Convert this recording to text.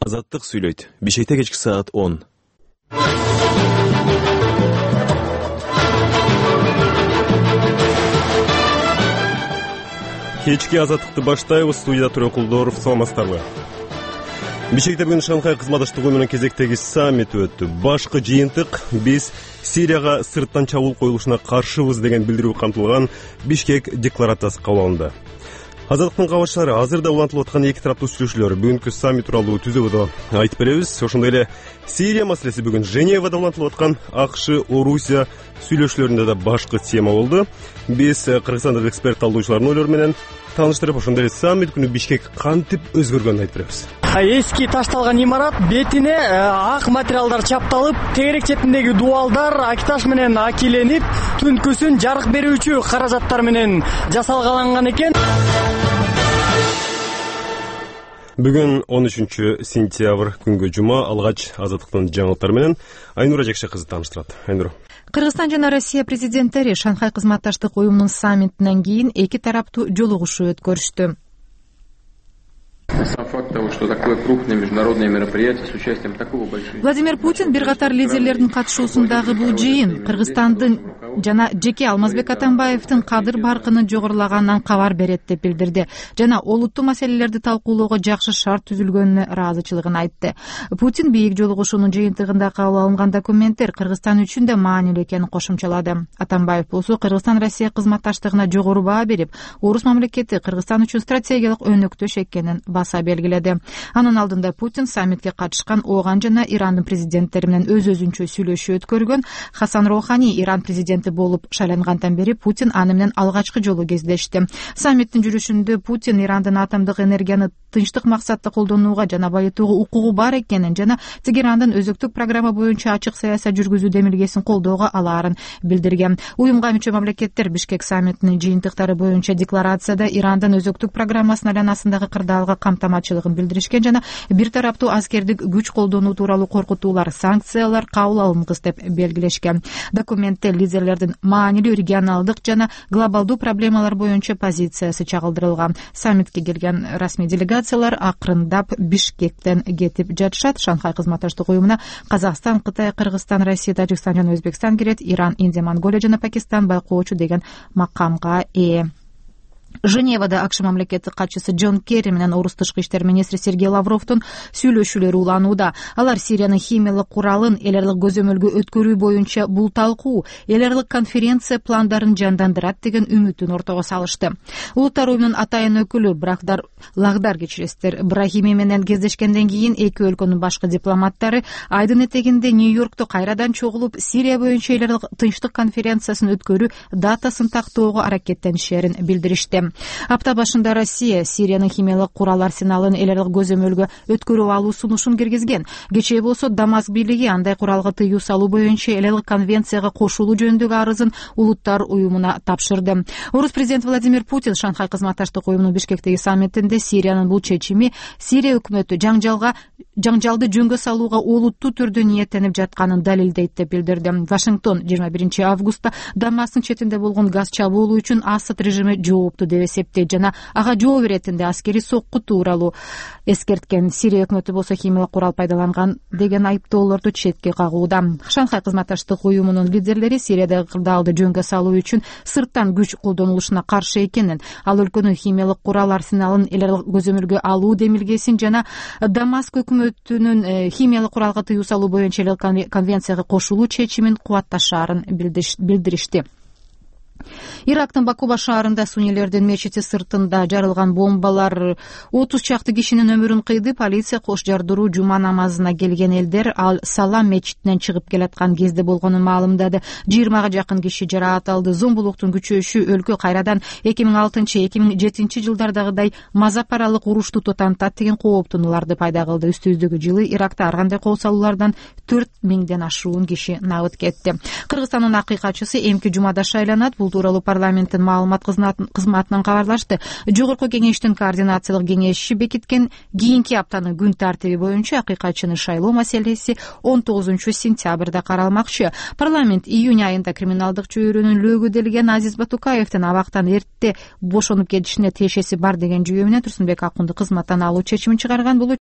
Азаттык сүйлөйт. Бишкекте кечки саат 10. Кечки азаттыкты баштайбыз. Студияда Турен Кулдоров, саламатсыздарбы? Бишкекте бүгүн Шанхай кызматташтык уюмунун кезектеги саммити өттү. Башкы жыйынтык биз Сирияга сырттан чабуул коюлушуна каршыбыз деген билдирүү камтылган Бишкек декларациясы кабыл алынды. Азаттыктын кабарчылары азырда улантылып аткан эки тараптуу сүйлөшүүлөр бүгүнкү саммит тууралуу түзөбөдө айтып беребиз. Ошондой эле Сирия маселеси бүгүн Женевада улантылып аткан АКШ, Орусия сүйлөшүүлөрүндө да башкы тема болду. Биз кыргызстандык эксперт талдоочулардын ойлору менен тааныштырып, ошондой эле саммит күнү Бишкек кантип өзгөргөнүн айтып беребиз. Эски ташталган имарат бетине ак материалдар чапталып, тегерек четиндеги дубалдар акиташ менен акиленип, түнкүсүн жарык берүүчү каражаттар менен жасалгаланган экен. Бүгүн 13-сентябрь күнгө жума. Алгач азаттыктын жаңылыктары менен Айнура Жекше кызы тааныштырат. Айнура. Кыргызстан жана Россия президенттери Шанхай кызматташтык уюмунун саммитинен кийин эки тараптуу жолугушуу өткөрүштү. Сам факт того, что такое крупное международное мероприятие с участием такого большого... Владимир Путин бир катар лидерлердин катышуусундагы бул жыйын Кыргызстандын жана жеке Алмазбек Атамбаевдин кадыр баркынын жогорулаганынан кабар берет деп билдирди жана олуттуу маселелерди талкуулоого жакшы шарт түзүлгөнүнө ыраазычылыгын айтты. Путин бийик жолугушуунун жыйынтыгында кабыл алынган документтер Кыргызстан үчүн да маанилүү экенин кошумчалады. Атамбаев болсо Кыргызстан Россия кызматташтыгына жогору баа берип, Орус мамлекети Кыргызстан үчүн стратегиялык өнөктөш экенин баса белгиледи. Анын алдында Путин саммитке катышкан Оган жана Ирандын президенттери менен өз-өзүнчө сүйлөшүү өткөргөн. Хасан Роухани Иран президенти болуп шайлангандан бери Путин аны менен алгачкы жолу кездешти. Саммиттин жүрүшүндө Путин Ирандын атомдук энергияны тынчтык максатта колдонууга жана байытууга укугу бар экенин жана Тегерандын өзөктүк программа боюнча ачык саясат жүргүзүү демилгесин колдоого алаарын билдирген. Уюмга мүчө мамлекеттер Бишкек саммитинин жыйынтыктары боюнча декларацияда Ирандын өзөктүк программасынын айланасындагы кырдаалга камтамачылыгын билдиришкен жана бир тараптуу аскердик күч колдонуу тууралуу коркутуулар, санкциялар кабыл алынгыс деп белгилешкен. Документте лидерлердин маанилүү регионалдык жана глобалдуу проблемалар боюнча позициясы чагылдырылган. Саммитке келген расмий делегациялар акырындап Бишкектен кетип жатышат. Шанхай кызматташтык уюмуна Казакстан, Кытай, Кыргызстан, Россия, Тажикстан жана Өзбекстан кирет. Иран, Индия, Монголия жана Пакистан байкоочу деген макамга ээ. Женевада АКШ мамлекеттик катчысы Джон Керри менен Орус тышкы иштер министри Сергей Лавровдун сүйлөшүүлөрү уланууда. Алар Сириянын химиялык куралын эл аралык көзөмөлгө өткөрүү боюнча бул талкуу эл аралык конференция пландарын жандандырат деген үмүтүн ортого салышты. Улуттар уюмунун атайын өкүлү Лагдар Брахими менен кездешкенден кийин эки өлкөнүн башкы дипломаттары айдын этегинде Нью-Йоркто кайрадан чогулуп Сирия боюнча эл аралык тынчтык конференциясын өткөрүү датасын тактоого аракеттенишерин билдиришти. Апта башында Россия Сириянын химиялык курал арсеналын эл аралык көзөмөлгө өткөрүп алуу сунушун киргизген. Кечээ болсо Дамаск бийлиги андай куралга тыюу салуу боюнча эл аралык конвенцияга кошулуу жөнүндөгү арызын улуттар уюмуна тапшырды. Орус президенти Владимир Путин Шанхай кызматташтык уюмунун Бишкектеги саммитинде Сириянын бул чечими Сирия өкмөтү жаңжалды жөнгө салууга олуттуу түрдө ниеттенип жатканын далилдейт деп билдирди. Вашингтон 21 августта Дамасктын четинде болгон газ чабуулу үчүн Асад режими жоопту деп эсептейт жана ага жооп беретинде аскерий сокку тууралуу эскерткен. Сирия өкмөтү болсо химиялык курал пайдаланган деген айыптоолорду четке кагууда. Шанхай кызматташтык уюмунун лидерлери Сириядагы кырдаалды жөнгө салуу үчүн сырттан күч колдонулушуна каршы экенин, ал өлкөнүн химиялык курал арсеналын эл аралык көзөмөлгө алуу демилгесин жана Дамаск өкмөтүнүн химиялык куралга тыюу салуу боюнча эл аралык конвенцияга кошулуу чечимин кубатташаарын билдиришти. Ирактын Бакуба шаарында суннилердин мечити сыртында жарылган бомбалар 30 чакты кишинин өмүрүн кыйды. Полиция кош жардыруу жума намазына келген элдер Ал-Салам мечитинен чыгып келаткан кезде болгонун маалымдады. 20га жакын киши жараат алды. Зомбулуктун күчөшү өлкө кайрадан 2006-2007 жылдардагыдай мазапаралык урушту тотантат деген кооптонууларды пайда кылды. Үстүбүздөгү жылы Иракта ар кандай кол салуулардан 4000ден ашуун киши набыт кетти. Кыргызстандын акыйкатчысы эмки жумада шайланат. Бул тууралуу парламенттин маалымат кызматынан кабарлашты. Жогорку кеңештин координациялык кеңеши бекиткен кийинки аптанын күн тартиби боюнча акыйкатчыны шайлоо маселеси 19-сентябрда каралмакчы. Парламент июнь айында криминалдык чөйрөнүн лөгүделген Азиз Батукаевдин абактан эрте бошонуп кетишине тиешеси бар деген жүйө менен Турсунбек Акунду кызматтан алуу чечимин чыгарган. Бул